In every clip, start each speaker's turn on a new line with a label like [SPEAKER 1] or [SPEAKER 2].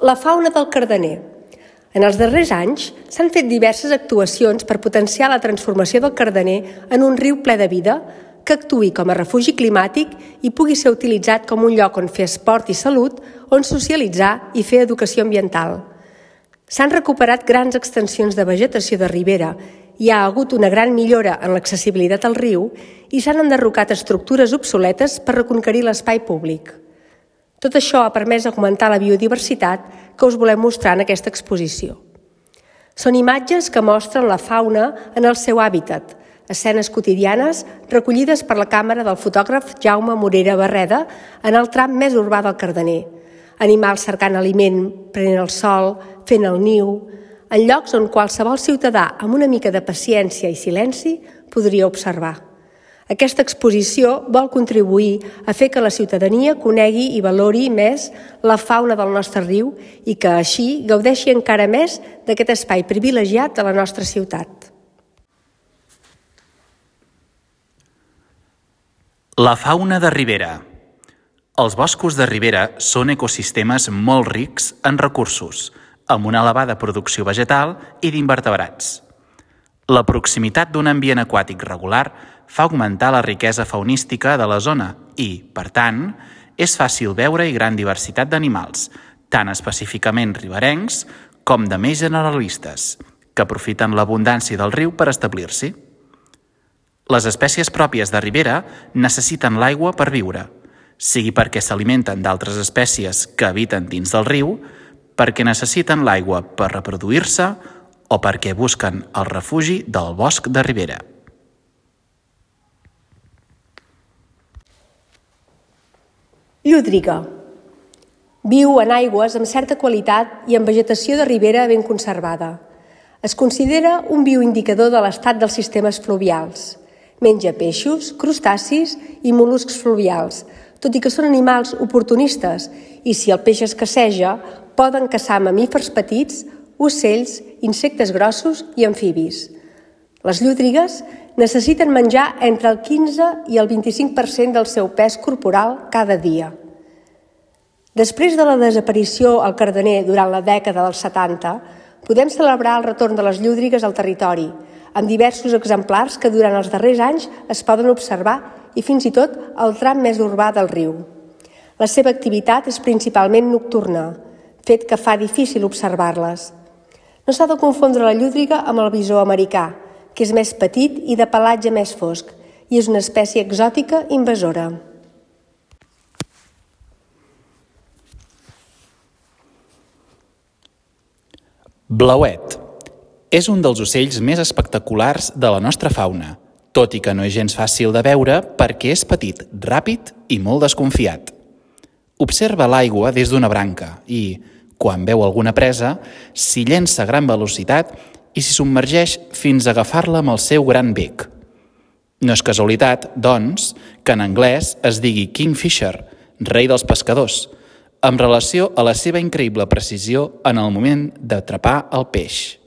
[SPEAKER 1] La fauna del Cardener. En els darrers anys s'han fet diverses actuacions per potenciar la transformació del Cardener en un riu ple de vida que actuï com a refugi climàtic i pugui ser utilitzat com un lloc on fer esport i salut, on socialitzar i fer educació ambiental. S'han recuperat grans extensions de vegetació de ribera, hi ha hagut una gran millora en l'accessibilitat al riu i s'han enderrocat estructures obsoletes per reconquerir l'espai públic. Tot això ha permès augmentar la biodiversitat que us volem mostrar en aquesta exposició. Són imatges que mostren la fauna en el seu hàbitat, escenes quotidianes recollides per la càmera del fotògraf Jaume Morera Barreda en el tram més urbà del Cardener. Animals cercant aliment, prenent el sol, fent el niu, en llocs on qualsevol ciutadà amb una mica de paciència i silenci podria observar. Aquesta exposició vol contribuir a fer que la ciutadania conegui i valori més la fauna del nostre riu i que així gaudeixi encara més d'aquest espai privilegiat de la nostra ciutat.
[SPEAKER 2] La fauna de ribera. Els boscos de ribera són ecosistemes molt rics en recursos, amb una elevada producció vegetal i d'invertebrats. La proximitat d'un ambient aquàtic regular fa augmentar la riquesa faunística de la zona i, per tant, és fàcil veure-hi gran diversitat d'animals, tant específicament riberencs com de més generalistes, que aprofiten l'abundància del riu per establir-s'hi. Les espècies pròpies de ribera necessiten l'aigua per viure, sigui perquè s'alimenten d'altres espècies que habiten dins del riu, perquè necessiten l'aigua per reproduir-se o perquè busquen el refugi del bosc de ribera.
[SPEAKER 1] Llúdriga. Viu en aigües amb certa qualitat i amb vegetació de ribera ben conservada. Es considera un bioindicador de l'estat dels sistemes fluvials. Menja peixos, crustacis i mol·luscs fluvials, tot i que són animals oportunistes i si el peix escasseja, poden caçar mamífers petits, ocells, insectes grossos i amfibis. Les llúdrigues necessiten menjar entre el 15 i el 25% del seu pes corporal cada dia. Després de la desaparició al Cardener durant la dècada dels 70, podem celebrar el retorn de les llúdrigues al territori, amb diversos exemplars que durant els darrers anys es poden observar i fins i tot al tram més urbà del riu. La seva activitat és principalment nocturna, fet que fa difícil observar-les. No s'ha de confondre la llúdriga amb el bisó americà, que és més petit i de pelatge més fosc, i és una espècie exòtica invasora.
[SPEAKER 2] Blauet. És un dels ocells més espectaculars de la nostra fauna, tot i que no és gens fàcil de veure perquè és petit, ràpid i molt desconfiat. Observa l'aigua des d'una branca i, quan veu alguna presa, s'hi llença a gran velocitat i s'hi submergeix fins a agafar-la amb el seu gran bec. No és casualitat, doncs, que en anglès es digui Kingfisher, rei dels pescadors, en relació a la seva increïble precisió en el moment d'atrapar el peix.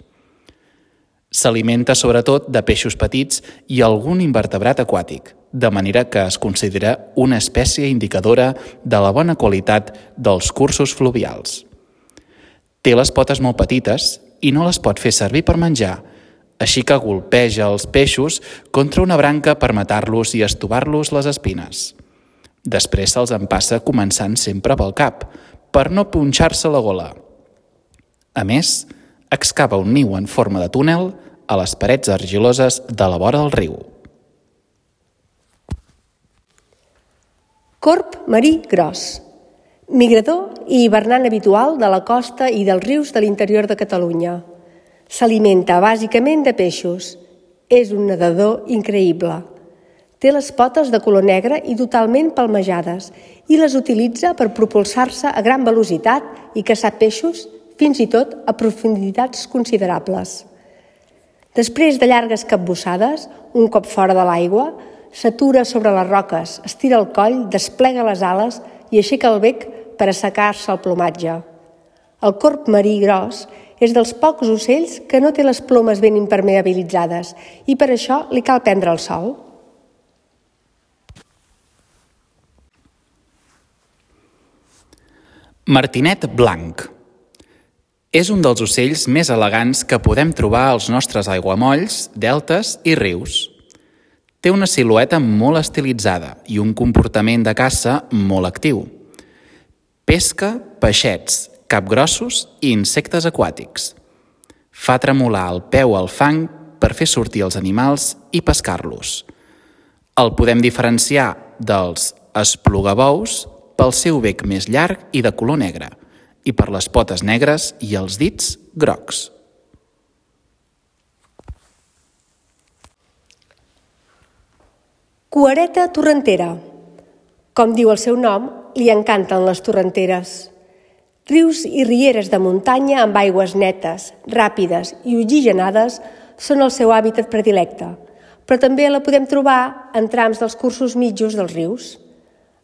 [SPEAKER 2] S'alimenta sobretot de peixos petits i algun invertebrat aquàtic, de manera que es considera una espècie indicadora de la bona qualitat dels cursos fluvials. Té les potes molt petites i no les pot fer servir per menjar, així que golpeja els peixos contra una branca per matar-los i estovar-los les espines. Després se'ls empassa començant sempre pel cap, per no punxar-se la gola. A més, excava un niu en forma de túnel a les parets argiloses de la vora del riu.
[SPEAKER 1] Corb marí gros. Migrador i hivernant habitual de la costa i dels rius de l'interior de Catalunya. S'alimenta bàsicament de peixos. És un nedador increïble. Té les potes de color negre i totalment palmejades i les utilitza per propulsar-se a gran velocitat i caçar peixos, fins i tot a profunditats considerables. Després de llargues capbussades, un cop fora de l'aigua, s'atura sobre les roques, estira el coll, desplega les ales i aixeca el bec per assecar-se el plomatge. El corb marí gros és dels pocs ocells que no té les plomes ben impermeabilitzades i per això li cal prendre el sol.
[SPEAKER 2] Martinet blanc. És un dels ocells més elegants que podem trobar als nostres aiguamolls, deltes i rius. Té una silueta molt estilitzada i un comportament de caça molt actiu. Pesca peixets, capgrossos i insectes aquàtics. Fa tremolar el peu al fang per fer sortir els animals i pescar-los. El podem diferenciar dels esplugabous pel seu bec més llarg i de color negre, i per les potes negres i els dits grocs.
[SPEAKER 1] Cuereta torrentera. Com diu el seu nom, li encanten les torrenteres. Rius i rieres de muntanya amb aigües netes, ràpides i oxigenades són el seu hàbitat predilecte, però també la podem trobar en trams dels cursos mitjos dels rius.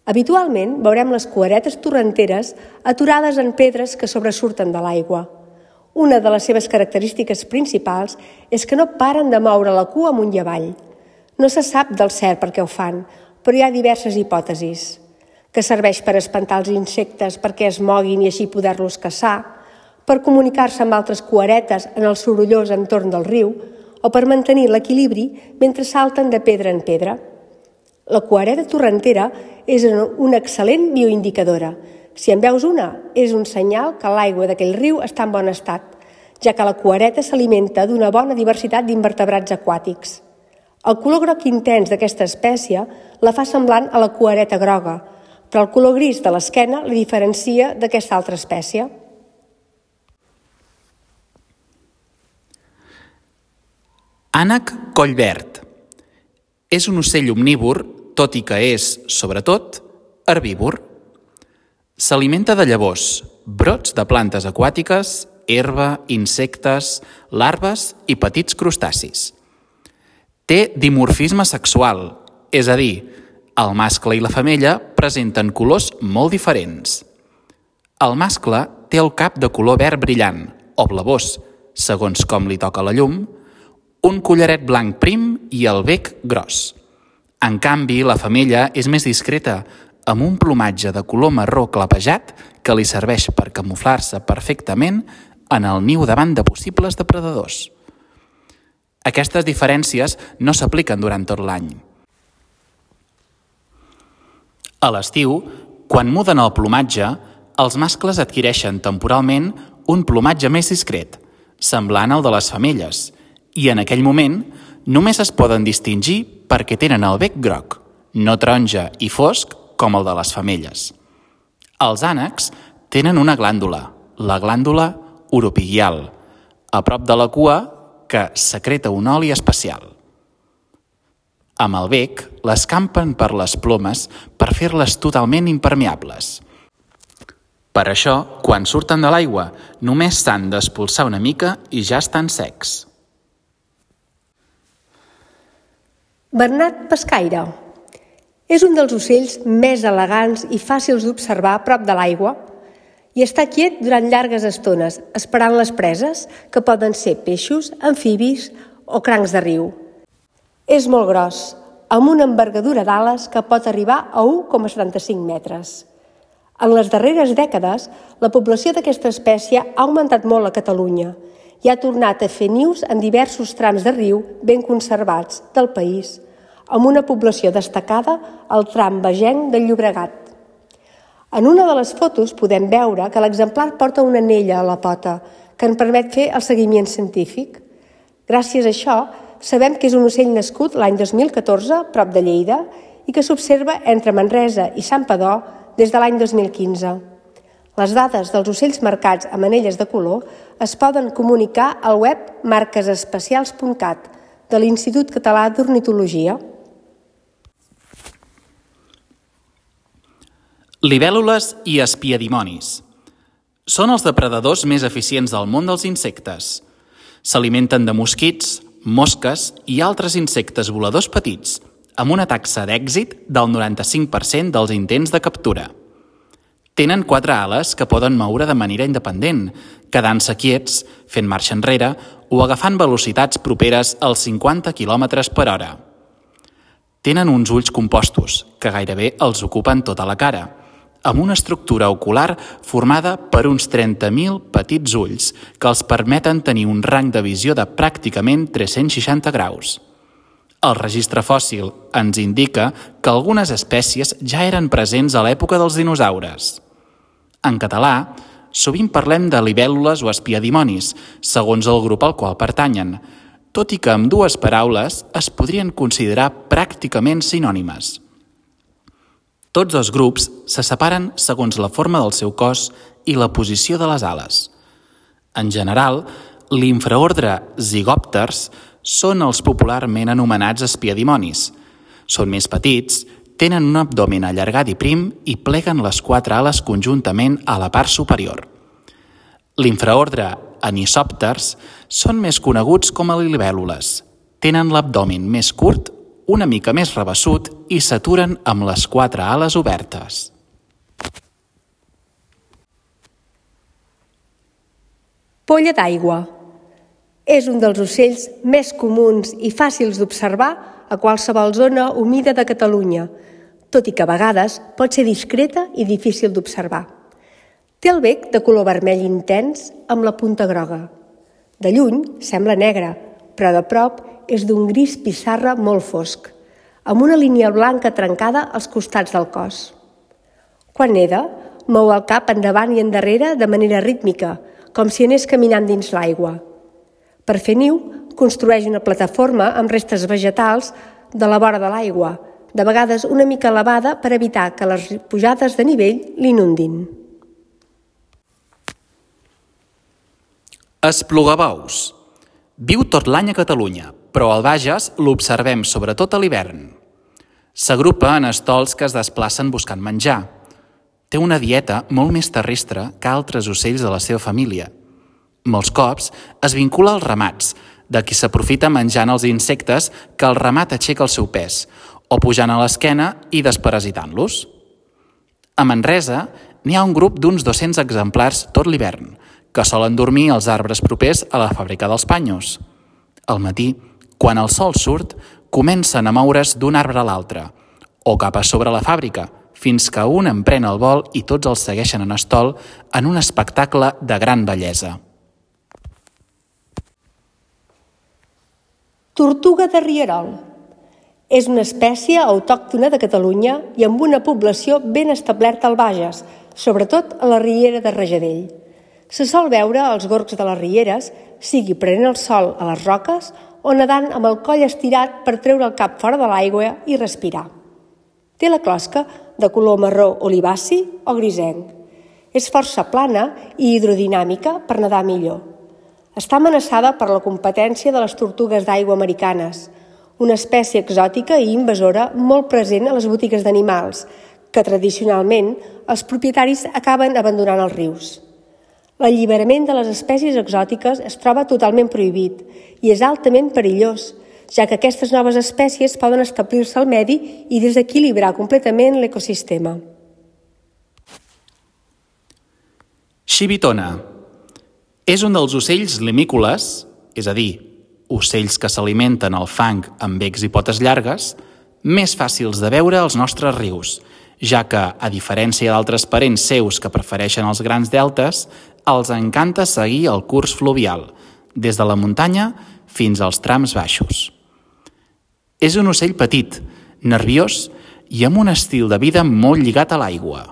[SPEAKER 1] Habitualment veurem les cueretes torrenteres aturades en pedres que sobresurten de l'aigua. Una de les seves característiques principals és que no paren de moure la cua amunt i avall. No se sap del cert per què ho fan, però hi ha diverses hipòtesis. Que serveix per espantar els insectes perquè es moguin i així poder-los caçar, per comunicar-se amb altres cueretes en el sorollós entorn del riu o per mantenir l'equilibri mentre salten de pedra en pedra. La cuereta torrentera és una excel·lent bioindicadora. Si en veus una, és un senyal que l'aigua d'aquell riu està en bon estat, ja que la cuereta s'alimenta d'una bona diversitat d'invertebrats aquàtics. El color groc intens d'aquesta espècie la fa semblant a la cuereta groga, però el color gris de l'esquena la diferencia d'aquesta altra espècie.
[SPEAKER 2] Ànec collverd. És un ocell omnívor, tot i que és, sobretot, herbívor. S'alimenta de llavors, brots de plantes aquàtiques, herba, insectes, larves i petits crustacis. Té dimorfisme sexual, és a dir, el mascle i la femella presenten colors molt diferents. El mascle té el cap de color verd brillant, o blavós, segons com li toca la llum, un collaret blanc prim i el bec gros. En canvi, la femella és més discreta, amb un plomatge de color marró clapejat que li serveix per camuflar-se perfectament en el niu davant de possibles depredadors. Aquestes diferències no s'apliquen durant tot l'any. A l'estiu, quan muden el plomatge, els mascles adquireixen temporalment un plomatge més discret, semblant al de les femelles, i en aquell moment només es poden distingir perquè tenen el bec groc, no taronja i fosc com el de les femelles. Els ànecs tenen una glàndula, la glàndula oropigial, a prop de la cua que secreta un oli especial. Amb el bec, l'escampen per les plomes per fer-les totalment impermeables. Per això, quan surten de l'aigua, només s'han d'espolsar una mica i ja estan secs.
[SPEAKER 1] Bernat pescaire. És un dels ocells més elegants i fàcils d'observar a prop de l'aigua i està quiet durant llargues estones, esperant les preses, que poden ser peixos, amfibis o crancs de riu. És molt gros, amb una envergadura d'ales que pot arribar a 1,75 metres. En les darreres dècades, la població d'aquesta espècie ha augmentat molt a Catalunya i ha tornat a fer nius en diversos trams de riu ben conservats del país, amb una població destacada al tram bagenc del Llobregat. En una de les fotos podem veure que l'exemplar porta una anella a la pota que en permet fer el seguiment científic. Gràcies a això, sabem que és un ocell nascut l'any 2014, prop de Lleida, i que s'observa entre Manresa i Santpedor des de l'any 2015. Les dades dels ocells marcats amb anelles de color es poden comunicar al web marquesespecials.cat de l'Institut Català d'Ornitologia.
[SPEAKER 2] Libèl·lules i espiadimonis. Són els depredadors més eficients del món dels insectes. S'alimenten de mosquits, mosques i altres insectes voladors petits, amb una taxa d'èxit del 95% dels intents de captura. Tenen 4 ales que poden moure de manera independent, quedant-se quiets, fent marxa enrere o agafant velocitats properes als 50 km per hora. Tenen uns ulls compostos, que gairebé els ocupen tota la cara, amb una estructura ocular formada per uns 30.000 petits ulls que els permeten tenir un rang de visió de pràcticament 360 graus. El registre fòssil ens indica que algunes espècies ja eren presents a l'època dels dinosaures. En català, sovint parlem de libèl·lules o espiadimonis, segons el grup al qual pertanyen, tot i que amb dues paraules es podrien considerar pràcticament sinònimes. Tots dos grups se separen segons la forma del seu cos i la posició de les ales. En general, l'infraordre Zygòpters són els popularment anomenats espiadimonis. Són més petits, tenen un abdomen allargat i prim i pleguen les 4 ales conjuntament a la part superior. L'infraordre Anisòpters són més coneguts com a libèl·lules. Tenen l'abdomen més curt, una mica més rabassut i s'aturen amb les 4 ales obertes.
[SPEAKER 1] Polla d'aigua. És un dels ocells més comuns i fàcils d'observar a qualsevol zona humida de Catalunya, tot i que a vegades pot ser discreta i difícil d'observar. Té el bec de color vermell intens amb la punta groga. De lluny sembla negre, però de prop és d'un gris pissarra molt fosc, amb una línia blanca trencada als costats del cos. Quan neda, mou el cap endavant i endarrere de manera rítmica, com si anés caminant dins l'aigua. Per fer niu, construeix una plataforma amb restes vegetals de la vora de l'aigua, de vegades una mica elevada per evitar que les pujades de nivell l'inundin.
[SPEAKER 2] Esplugabous. Viu tot l'any a Catalunya, però al Bages l'observem sobretot a l'hivern. S'agrupa en estols que es desplacen buscant menjar. Té una dieta molt més terrestre que altres ocells de la seva família. Molts cops es vincula als ramats, de qui s'aprofita menjant els insectes que el ramat aixeca el seu pes, o pujant a l'esquena i desparasitant-los. A Manresa n'hi ha un grup d'uns 200 exemplars tot l'hivern, que solen dormir als arbres propers a la fàbrica dels panyos. Al matí, quan el sol surt, comencen a moure's d'un arbre a l'altre, o cap a sobre la fàbrica, fins que un emprèn el vol i tots els segueixen en estol en un espectacle de gran bellesa.
[SPEAKER 1] Tortuga de rierol. És una espècie autòctona de Catalunya i amb una població ben establerta al Bages, sobretot a la riera de Rajadell. Se sol veure als gorgs de les rieres, sigui prenent el sol a les roques o nedant amb el coll estirat per treure el cap fora de l'aigua i respirar. Té la closca de color marró olivaci o grisenc. És força plana i hidrodinàmica per nedar millor. Està amenaçada per la competència de les tortugues d'aigua americanes, una espècie exòtica i invasora molt present a les botigues d'animals, que tradicionalment els propietaris acaben abandonant als rius. L'alliberament de les espècies exòtiques es troba totalment prohibit i és altament perillós, ja que aquestes noves espècies poden establir-se al medi i desequilibrar completament l'ecosistema.
[SPEAKER 2] Xivitona. És un dels ocells limícoles, és a dir, ocells que s'alimenten al fang amb becs i potes llargues, més fàcils de veure als nostres rius, ja que, a diferència d'altres parents seus que prefereixen els grans deltes, els encanta seguir el curs fluvial, des de la muntanya fins als trams baixos. És un ocell petit, nerviós i amb un estil de vida molt lligat a l'aigua.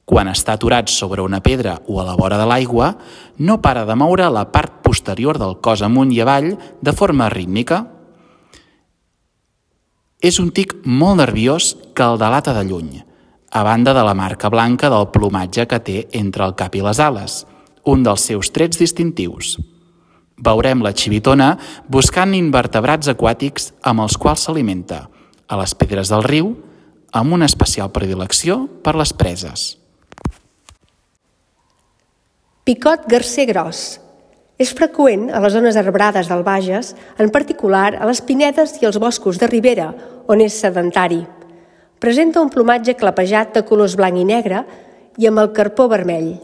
[SPEAKER 2] Quan està aturat sobre una pedra o a la vora de l'aigua, no para de moure la part posterior del cos amunt i avall de forma rítmica. És un tic molt nerviós que el delata de lluny, a banda de la marca blanca del plomatge que té entre el cap i les ales, un dels seus trets distintius. Veurem la xivitona buscant invertebrats aquàtics amb els quals s'alimenta, a les pedres del riu, amb una especial predilecció per les preses.
[SPEAKER 1] Picot garser gros. És freqüent a les zones arbrades del Bages, en particular a les pinedes i els boscos de ribera, on és sedentari. Presenta un plomatge clapejat de colors blanc i negre i amb el carpó vermell.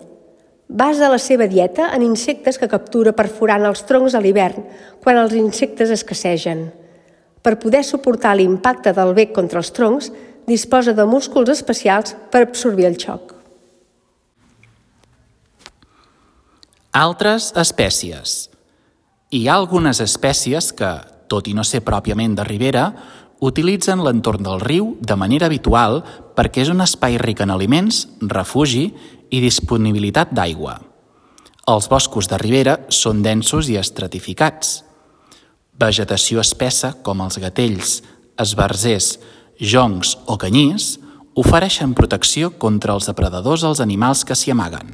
[SPEAKER 1] Basa la seva dieta en insectes que captura perforant els troncs a l'hivern, quan els insectes escassegen. Per poder suportar l'impacte del bec contra els troncs, disposa de músculs especials per absorbir el xoc.
[SPEAKER 2] Altres espècies. Hi ha algunes espècies que, tot i no ser pròpiament de ribera, utilitzen l'entorn del riu de manera habitual perquè és un espai ric en aliments, refugi i disponibilitat d'aigua. Els boscos de ribera són densos i estratificats. Vegetació espessa com els gatells, esbarzers, joncs o canyís ofereixen protecció contra els depredadors als animals que s'hi amaguen.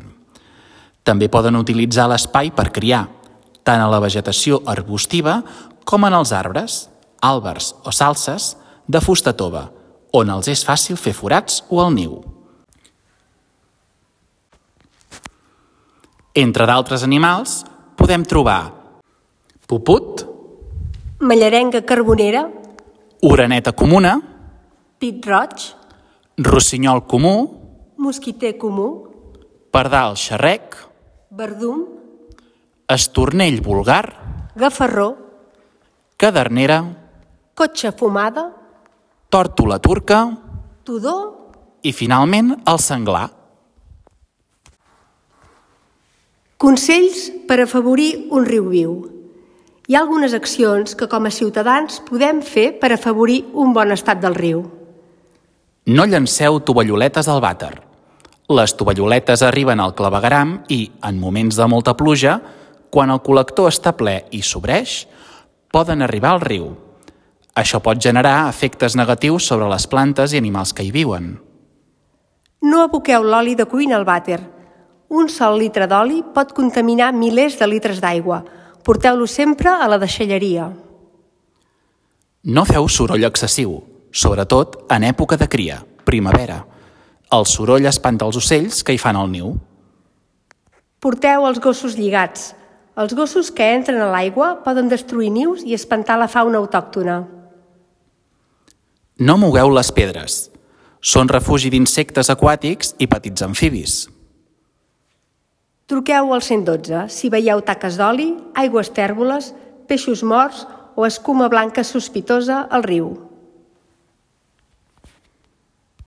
[SPEAKER 2] També poden utilitzar l'espai per criar, tant a la vegetació arbustiva com en els arbres, àlbers o salses de fusta tova, on els és fàcil fer forats o el niu. Entre d'altres animals podem trobar puput,
[SPEAKER 1] Mallarenga carbonera,
[SPEAKER 2] oreneta comuna,
[SPEAKER 1] pit roig,
[SPEAKER 2] rossinyol comú,
[SPEAKER 1] mosquiter comú,
[SPEAKER 2] pardal xerrec,
[SPEAKER 1] verdum,
[SPEAKER 2] estornell vulgar,
[SPEAKER 1] gafarró,
[SPEAKER 2] cadernera,
[SPEAKER 1] cotxa fumada,
[SPEAKER 2] tòrtola turca
[SPEAKER 1] tudó,
[SPEAKER 2] i, finalment, el senglar.
[SPEAKER 1] Consells per afavorir un riu viu. Hi ha algunes accions que com a ciutadans podem fer per afavorir un bon estat del riu.
[SPEAKER 2] No llanceu tovalloletes al vàter. Les tovalloletes arriben al clavegueram i, en moments de molta pluja, quan el col·lector està ple i sobreix, poden arribar al riu. Això pot generar efectes negatius sobre les plantes i animals que hi viuen.
[SPEAKER 1] No aboqueu l'oli de cuina al vàter. Un sol litre d'oli pot contaminar milers de litres d'aigua. Porteu-lo sempre a la deixalleria.
[SPEAKER 2] No feu soroll excessiu, sobretot en època de cria, primavera. El soroll espanta els ocells que hi fan el niu.
[SPEAKER 1] Porteu els gossos lligats. Els gossos que entren a l'aigua poden destruir nius i espantar la fauna autòctona.
[SPEAKER 2] No mogueu les pedres. Són refugi d'insectes aquàtics i petits amfibis.
[SPEAKER 1] Truqueu al 112 si veieu taques d'oli, aigües tèrboles, peixos morts o escuma blanca sospitosa al riu.